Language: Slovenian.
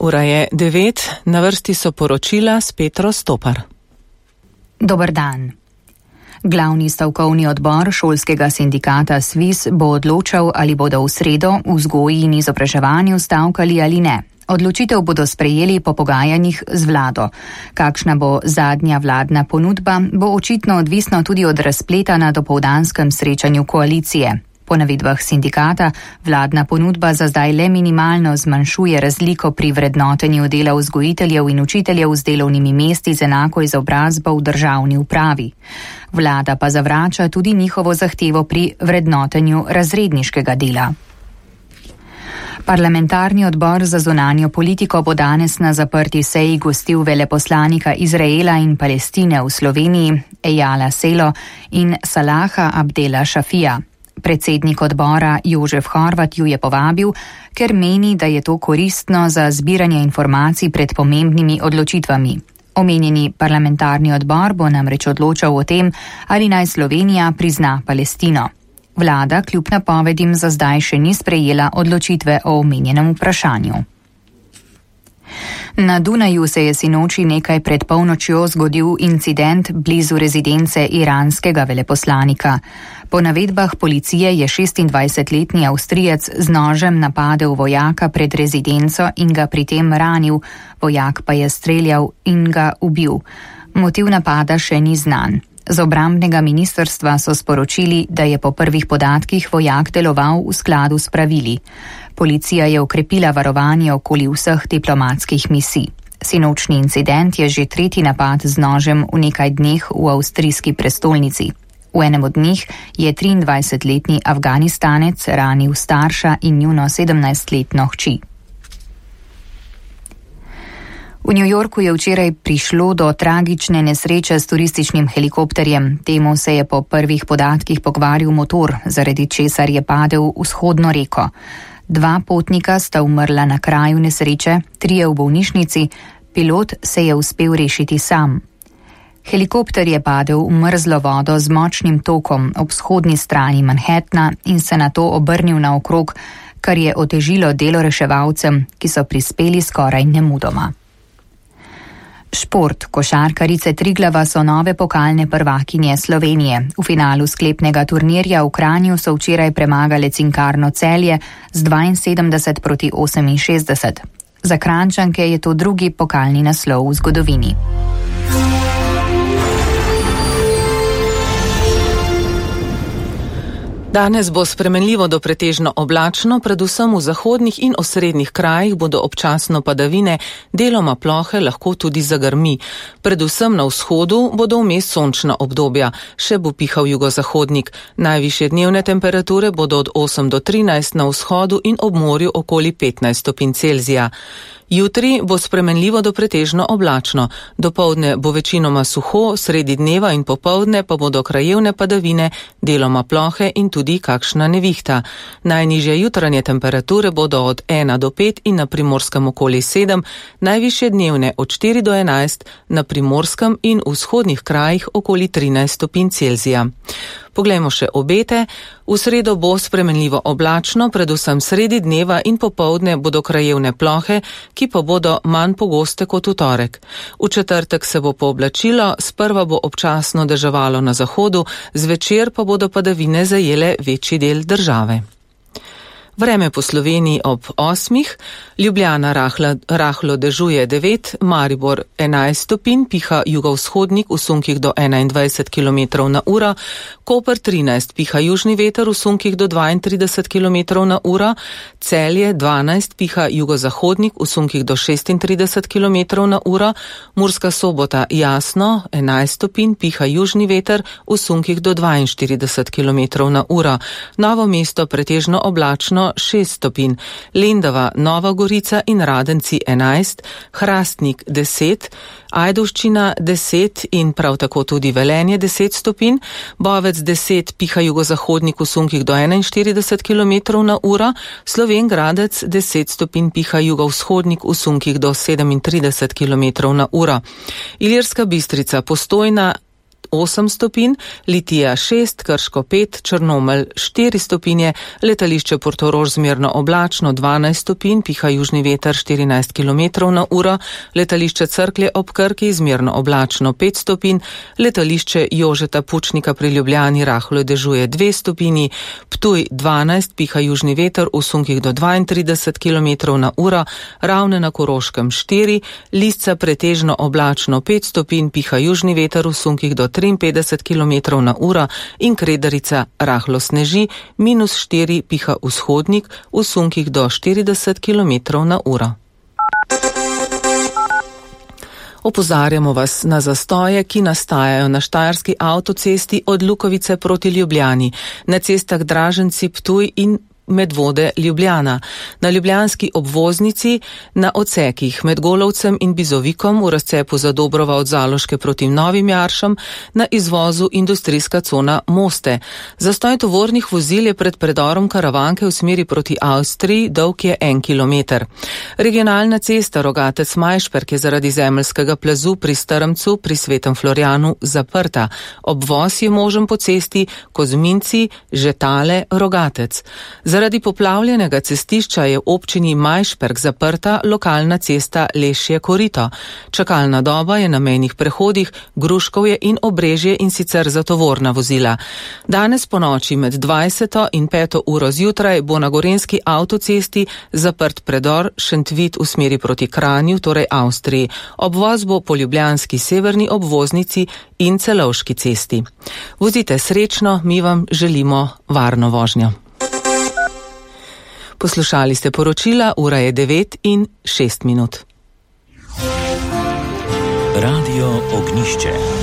Ura je 9, na vrsti so poročila s Petro Stopar. Dober dan. Glavni stavkovni odbor šolskega sindikata SVIS bo odločal, ali bodo v sredo v vzgoji in izobraževanju stavkali ali ne. Odločitev bodo sprejeli po pogajanjih z vlado. Kakšna bo zadnja vladna ponudba, bo očitno odvisno tudi od razpleta na dopoldanskem srečanju koalicije. Po navedbah sindikata, vladna ponudba za zdaj le minimalno zmanjšuje razliko pri vrednotenju dela vzgojiteljev in učiteljev z delovnimi mesti z enako izobrazbo v državni upravi. Vlada pa zavrača tudi njihovo zahtevo pri vrednotenju razredniškega dela. Parlamentarni odbor za zunanjo politiko bo danes na zaprti seji gostil veleposlanika Izraela in Palestine v Sloveniji, Ejala Selo in Salaha Abdela Šafija. Predsednik odbora Jožef Horvat ju je povabil, ker meni, da je to koristno za zbiranje informacij pred pomembnimi odločitvami. Omenjeni parlamentarni odbor bo namreč odločal o tem, ali naj Slovenija prizna Palestino. Vlada kljub napovedim za zdaj še ni sprejela odločitve o omenjenem vprašanju. Na Dunaju se je sinoči nekaj pred polnočjo zgodil incident blizu rezidence iranskega veleposlanika. Po navedbah policije je 26-letni Avstrijec z nožem napadel vojaka pred rezidenco in ga pri tem ranil, vojak pa je streljal in ga ubil. Motiv napada še ni znan. Z obrambnega ministrstva so sporočili, da je po prvih podatkih vojak deloval v skladu s pravili. Policija je okrepila varovanje okoli vseh diplomatskih misij. Sinočni incident je že tretji napad z nožem v nekaj dneh v avstrijski prestolnici. V enem od njih je 23-letni Afganistanec ranil starša in njuno 17-letno hči. V New Yorku je včeraj prišlo do tragične nesreče s turističnim helikopterjem. Temu se je po prvih podatkih pokvaril motor, zaradi česar je padel v vzhodno reko. 2 potnika sta umrla na kraju nesreče, 3 v bolnišnici, pilot se je uspel rešiti sam. Helikopter je padel v mrzlo vodo z močnim tokom ob vzhodni strani Manhattna in se nato obrnil naokrog, kar je otežilo delo reševalcem, ki so prispeli skoraj nemudoma. Šport. Košarkarice Triglava so nove pokalne prvakinje Slovenije. V finalu sklepnega turnirja v Kranju so včeraj premagale Cinkarno Celje z 72-68. Za Kranjčanke je to drugi pokalni naslov v zgodovini. Danes bo spremenljivo do pretežno oblačno, predvsem v zahodnih in osrednjih krajih bodo občasno padavine, deloma plohe, lahko tudi zagrmi. Predvsem na vzhodu bodo vmes sončna obdobja, še bo pihal jugozahodnik. Najvišje dnevne temperature bodo od 8 do 13 na vzhodu in ob morju okoli 15 stopinj Celzija. Jutri bo spremenljivo do pretežno oblačno. Dopoldne bo večinoma suho, sredi dneva in popoldne pa bodo krajevne padavine, deloma plohe in tudi kakšna nevihta. Najnižje jutranje temperature bodo od 1 do 5 in na Primorskem okoli 7, najvišje dnevne od 4 do 11, na Primorskem in vzhodnih krajih okoli 13 stopinj Celzija. Poglejmo še obete. V sredo bo spremenljivo oblačno, predvsem sredi dneva in popoldne bodo krajevne plohe, ki pa bodo manj pogoste kot v torek. V četrtek se bo pooblačilo, sprva bo občasno deževalo na zahodu, zvečer pa bodo padavine zajele večji del države. Vreme po Sloveniji ob 8, Ljubljana rahlo dežuje 9, Maribor 11 stopinj, piha jugovzhodnik v sunkih do 21 km na uro, Koper 13, piha južni veter v sunkih do 32 km na uro, Celje 12, piha jugozahodnik v sunkih do 36 km na uro, Murska Sobota jasno 11 stopinj, piha južni veter v sunkih do 42 km na uro, Novo mesto pretežno oblačno 6 stopinj, Lendava, Nova Gorica in Radenci 11, Hrastnik 10, Ajdovščina 10 in prav tako tudi Velenje 10 stopinj, Bovec 10, piha jugozahodnik v sunkih do 41 km na uro, Slovenj Gradec 10 stopinj, piha jugovzhodnik v sunkih do 37 km na uro, Ilirska Bistrica, Postojna 8 stopinj, Litija 6, Krško 5, Črnomelj 4 stopinje, letališče Portorož zmerno oblačno 12 stopinj, piha južni veter 14 km na uro, letališče Cerklje ob Krki zmerno oblačno 5 stopinj, letališče Jožeta Pučnika pri Ljubljani rahlo dežuje 2 stopinji, Ptuj 12, piha južni veter v sunkih do 32 km na uro, Ravne na Koroškem 4, Lisca pretežno oblačno 5 stopinj, piha južni veter v sunkih do 53 km na uro in Kredarica rahlo sneži, -4 piha vzhodnik v sunkih do 40 km na uro. Opozarjamo vas na zastoje, ki nastajajo na štajerski avtocesti od Lukovice proti Ljubljani, na cestah Draženci, Ptuj in Medvode Ljubljana, na ljubljanski obvoznici, na odsekih med Golovcem in Bizovikom v razcepu Zadobrova od Zaloške proti Novim Jaršam, na izvozu industrijska cona Moste. Zastoj tovornih vozil je pred predorom Karavanke v smeri proti Avstriji, dolg je 1 km. Regionalna cesta Rogatec-Majšperk je zaradi zemeljskega plazu pri Strmcu pri Svetem Florjanu zaprta. Obvoz je možen po cesti Kozminci, Žetale, Rogatec. Zaradi poplavljenega cestišča je v občini Majšperk zaprta lokalna cesta Lešje Korito. Čakalna doba je na mejnih prehodih Gruškovje in Obrežje in sicer za tovorna vozila. Danes po noči med 20. in 5. uro zjutraj bo na gorenjski avtocesti zaprt predor Šentvid v smeri proti Kranju, torej Avstriji. Obvoz bo po ljubljanski severni obvoznici in Celovški cesti. Vozite srečno, mi vam želimo varno vožnjo. Poslušali ste poročila, ura je 9:06. Radio Ognišče.